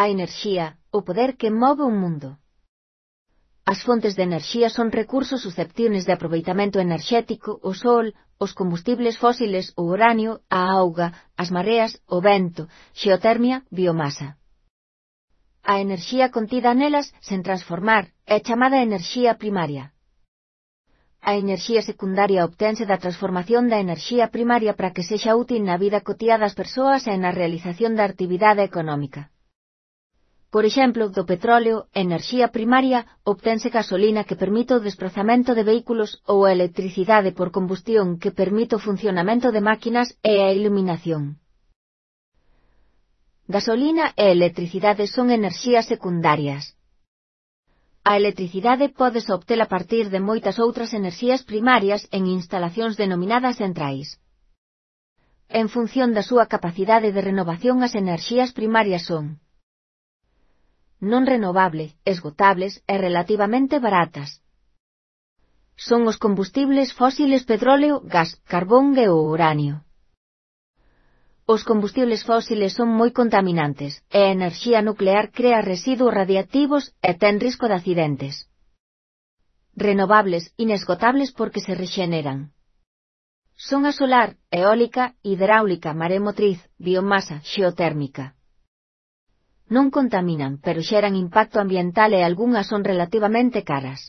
A enerxía, o poder que move o mundo. As fontes de enerxía son recursos susceptibles de aproveitamento enerxético, o sol, os combustibles fósiles, o uranio, a auga, as mareas, o vento, xeotermia, biomasa. A enerxía contida nelas, sen transformar, é chamada enerxía primaria. A enerxía secundaria obtense da transformación da enerxía primaria para que sexa útil na vida cotiá das persoas e na realización da actividade económica. Por exemplo, do petróleo, enerxía primaria, obtense gasolina que permite o desprazamento de vehículos ou a electricidade por combustión que permite o funcionamento de máquinas e a iluminación. Gasolina e electricidade son enerxías secundarias. A electricidade pódese obter a partir de moitas outras enerxías primarias en instalacións denominadas centrais. En función da súa capacidade de renovación, as enerxías primarias son non renovable, esgotables e relativamente baratas. Son os combustibles fósiles petróleo, gas, carbón e o uranio. Os combustibles fósiles son moi contaminantes, e a enerxía nuclear crea residuos radiactivos e ten risco de accidentes. Renovables, inesgotables porque se rexeneran. Son a solar, eólica, hidráulica, maremotriz, biomasa, xeotérmica. Non contaminan, pero xeran impacto ambiental e algunhas son relativamente caras.